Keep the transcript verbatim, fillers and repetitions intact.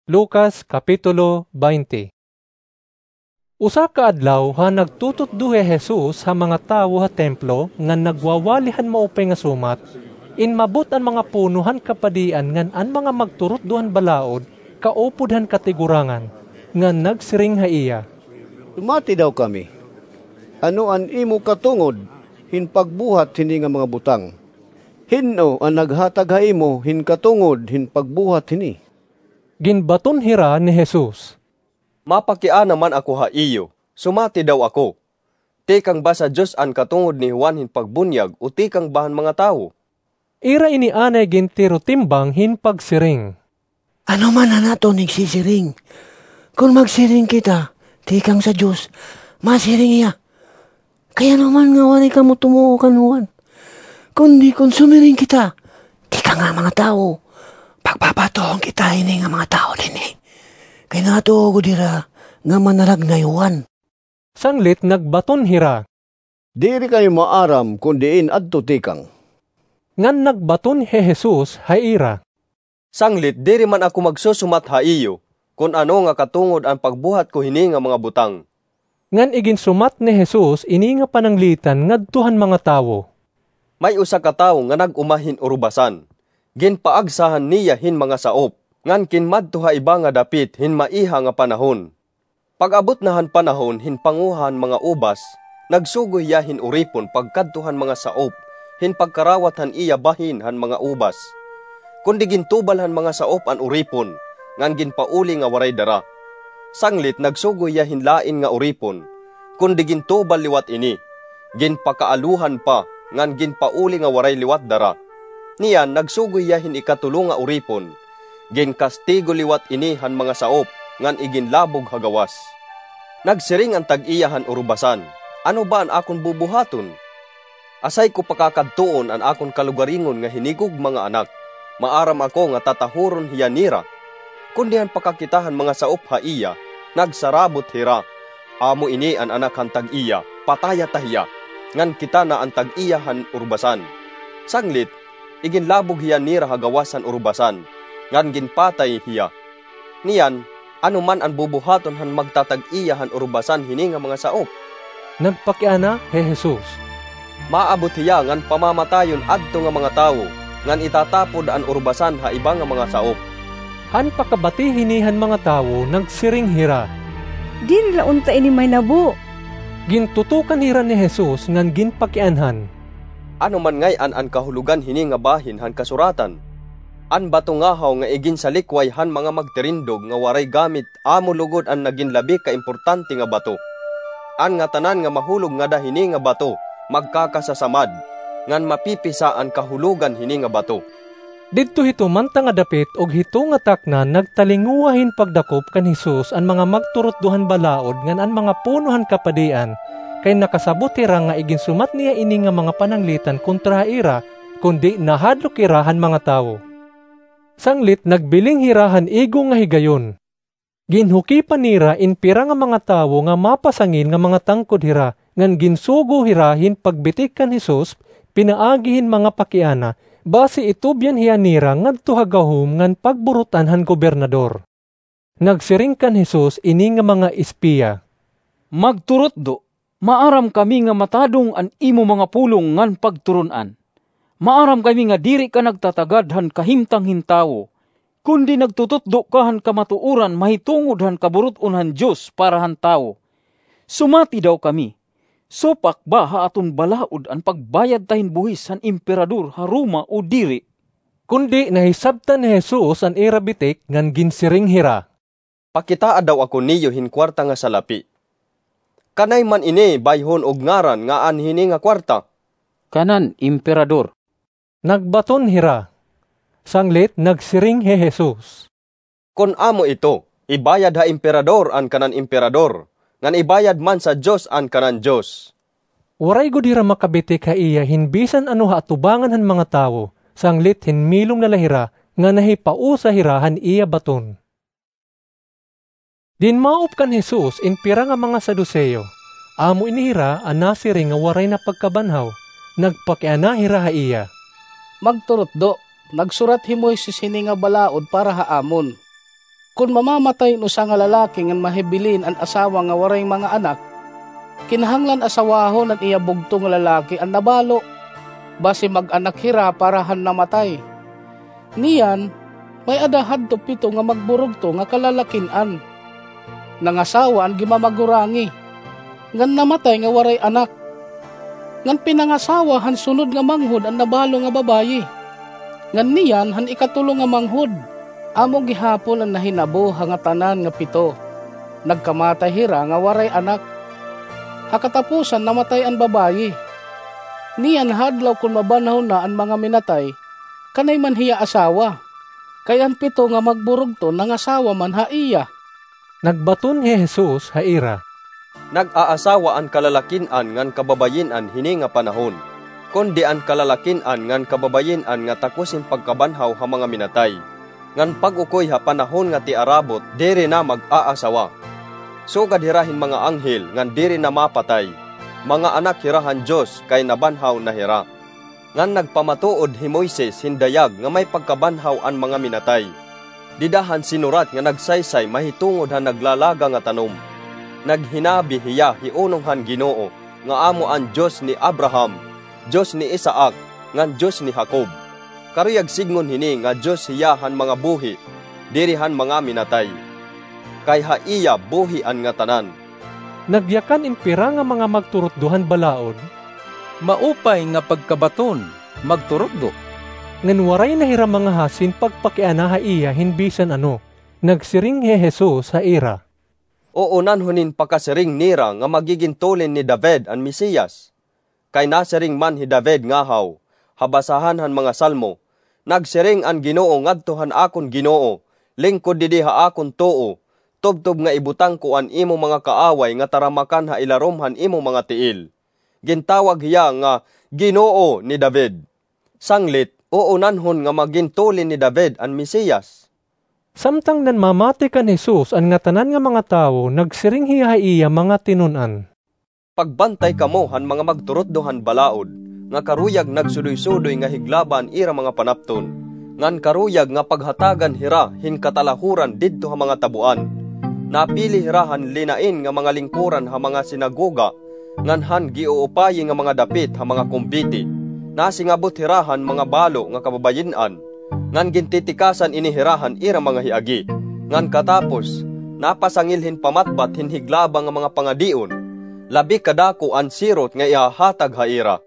Lucas, Kapitulo twenty. Usa ka adlaw, han nagtututdo hi Jesus ha mga tawo ha templo ngan nagwawali han maupay nga sumat, inmabot an mga puno han kapadian ngan an mga magturutdo han balaod kaupod han katigurangan, ngan nagsiring ha iya, "Sumati daw kami. Ano an imo katungod hin pagbuhat hini nga mga butang? Hin-o an naghatag ha imo hin katungod hin pagbuhat hini?" Ginbaton hira ni Jesus, "Mapakiana man ako ha iyo, sumati daw ako. Tikang ba sa Dios an katungod ni Juan hin Pagbunyag o tikang ba han mga tawo?" Ira ini anay gintirotimbang hin pagsiring, "Ano man an aton igsisiring? Kon magsiring kita, 'Tikang sa Dios,' masiring hiya. Kay ano man nga waray kamo tumuo kan Juan? Kundi kon sumiring kita, 'Tikang ha mga tawo,' pagpapatuon kita hini nga mga tawo dinhi. Kay natuo gud hira nga manaragnay hi Juan." Sanglit nagbaton hira, "Diri kami maaram kon diin adto tikang." Ngan nagbaton hi Jesus ha ira, "Sanglit diri man ako magsusumat ha iyo kon ano nga katungod an pagbuhat ko hini nga mga butang." Ngan iginsumat ni Jesus ini nga pananglitan ngadto han mga tawo, "May usa ka tawo nga nag-uma hin urubasan. Ginpaagsahan niya hin mga saop, ngan kinmadto ha iba nga dapit hin maiha nga panahon. Pag-abot na han panahon hin panguha han mga ubas, nagsugo hiya hin uripon pagkadto han mga saop hin pagkarawat han iya bahin han mga ubas. Kundi gintubal han mga saop an uripon, ngan ginpauli nga waray dara. Sanglit nagsugo hiya hin lain nga uripon, kundi gintubal liwat ini, ginpakaaluhan pa, ngan ginpauli nga waray liwat dara. Niyan nagsugo hiya hin ikatulo nga uripon. Ginkastigo liwat ini han mga saop, ngan iginlabog ha gawas. Nagsiring an tag-iya han urubasan, 'Ano ba an akon bubuhaton? Asay ko pakakadtuon an akon kalugaringon nga hinigugma nga anak? Maaram ako nga tatahuron hiya nira.' Kundi han pakakita han mga saop ha iya, nagsarabot hira, 'Amo ini an anak han tag-iya, pataya ta hiya.' Ngan kita na an tag-iya han urubasan. Sanglit, iginlabog hiya nira ha gawas han urubasan, ngan ginpatay hiya. Niyan, ano man an bubuhaton han magtatag-iya han urubasan hini nga mga saop?" Nagpakiana hi Jesus, "Maabot hiya ngan pamamatayon adto nga mga tawo, ngan itatapod an urubasan ha iba nga mga saop." Han pakabati hini han mga tawo, nagsiring hira, "Diri la unta ini mahinabo." Gintutukan hira ni Jesus ngan ginpakianhan, "Ano man ngay-an an kahulogan hini nga bahin han kasuratan? 'An bato ngahaw nga iginsalikway han mga magtirindog nga waray gamit, amo lugod an nagin labi ka importante nga bato. An ngatanan nga mahulog ngada hini nga bato magkakasasamad, ngan mapipisa an kahulogan hini nga bato.'" Didto hito man ta nga dapit ug hito nga takna nagtalinguha hin pagdakop kan Jesus an mga magturutdo han balaod ngan an mga puno han kapadian, kay nakasabot hira nga iginsumat niya ini nga mga pananglitan kontra ha ira, kundi nahadlok hira han mga tawo. Sanglit nagbiling hira han igo nga higayon. Ginhukipan nira in pira nga mga tawo nga mapasangil nga mga tangkod hira, ngan ginsugo hira hin pagbitik kan Jesus pinaagi hin mga pakiana, basi itubyan hiya nira ngadto ha gahom ngan pagburut-an han gobernador. Nagsiring kan Jesus ini nga mga espiya, "Magturutdo, maaram kami nga matadong an imo mga pulong ngan pagturon-an. Maaram kami nga diri ka nagtatagad han kahimtang hin tawo, kundi nagtututdo ka han kamatuoran mahitungod han kaburut-on han Dios para han tawo. Sumati daw kami, supak ba ha aton balaod an pagbayad ta hin buhis han Emperador ha Roma o diri?" Kundi nahisabtan ni Jesus an ira bitik ngan ginsiring hira, "Pakitaa daw ako niyo hin kuwarta nga salapi. Kanay man ini bayhon og ngaran nga an hini nga kuwarta?" "Kanan Emperador." Nagbaton hira. Sanglit nagsiring hi Jesus, "Kon amo ito, ibayad ha Emperador an kanan Emperador, ngan ibayad man sa Dios an kanan Dios." Waray gud hira makabitik ha iya hin bisan ano ha atubangan han mga tawo, sanglit hinmilom na la hira nga nahipausa hira han iya baton. Dinmaop kan Jesus in pira nga mga Saduseo. Amo ini hira an nasiring nga waray na pagkabanhaw. Nagpakiana hira ha iya, "Magturutdo, nagsurat hi Moises hini nga balaod para ha amon." Kon mamamatay an usa nga lalaki ngan mahibilin an asawa nga waray mga anak, kinahanglan asawahon han iya bugto nga lalaki an nabalo, basi mag-anak hira para han namatay. Niyan, may-ada hadto pito nga magburugto nga kalalakin-an. Nangasawa an gimamagurangi, ngan namatay nga waray anak. Ngan pinangasawa han sunod nga manghod an nabalo nga babayi. Ngan niyan han ikatulo nga manghod, amo gihapon an nahinabo ha ngatanan nga pito. Nagkamatay hira nga waray anak. Ha katapusan namatay an babayi. Niyan ha adlaw kon mabanhaw na an mga minatay, kanay man hiya asawa, kay an pito nga magburugto nangasawa man ha iya. Nagbaton hi Jesus ha ira, "Nag-aasawa an kalalakin-an ngan kababayin-an hini nga panahon, kundi an kalalakin-an ngan kababayin-an nga takos hin pagkabanhaw ha mga minatay, ngan pag-ukoy ha panahon nga tiarabot diri na mag-aasawa. Sugad hira hin mga anghel ngan diri na mapatay, mga anak hira han Dios kay nabanhaw na hira." Ngan nagpamatuod hi Moises hin dayag nga may pagkabanhaw an mga minatay, dida han sinurat nga nagsaysay mahitungod han naglalaga nga tanom. Naghinabi hiya hi unong han Ginoo, nga amo an Dios ni Abraham, Dios ni Isaac, ngan Dios ni Jacob. Karuyag sidngon hini nga Dios hiya han mga buhi, diri han mga minatay. Kay ha iya buhi an ngatanan. Nagyakan in pira nga mga magturutdo han balaod, "Maupay nga pagkabaton, magturutdo." Ngan waray na hira mangahas hin pagpakiana ha iya hin bisan ano. Nagsiring hi Jesus ha ira, "Uunanhon hin pakasiring nira nga magigin tulin ni David an Mesiyas. Kay nasiring man hi David ngahaw, ha basahan han mga Salmo, nagsiring an Ginoo ngadto han akon Ginoo, 'Lingkod didi ha akon tuo, tubtob nga ibutang ko an imo mga kaaway nga taramakan ha ilarom han imo mga tiil.' Gintawag hiya nga Ginoo ni David. Sanglit, uunanhon nga magin tulin ni David an Mesiyas." Samtang nanmamati kan Jesus an ngatanan nga mga tawo, nagsiring hiya ha iya mga tinun-an, "Pagbantay kamo han mga magturutdo han balaod, nga karuyag nagsudoy-sudoy nga higlaba an ira mga panapton, ngan karuyag nga paghatagan hira hin katalahuran didto ha mga taboan. Napili hira han linain nga mga lingkoran ha mga sinagoga, ngan han giuupayi nga mga dapit ha mga kumbiti. Nasingabot hira han mga balo nga kababayin-an, ngan gintitikasan ini hira han ira mga hiagi. Ngan katapos, napasangil hin pamatbat hin higlaba nga mga pangadion, labi kadako an sirot nga ihahatag ha ira."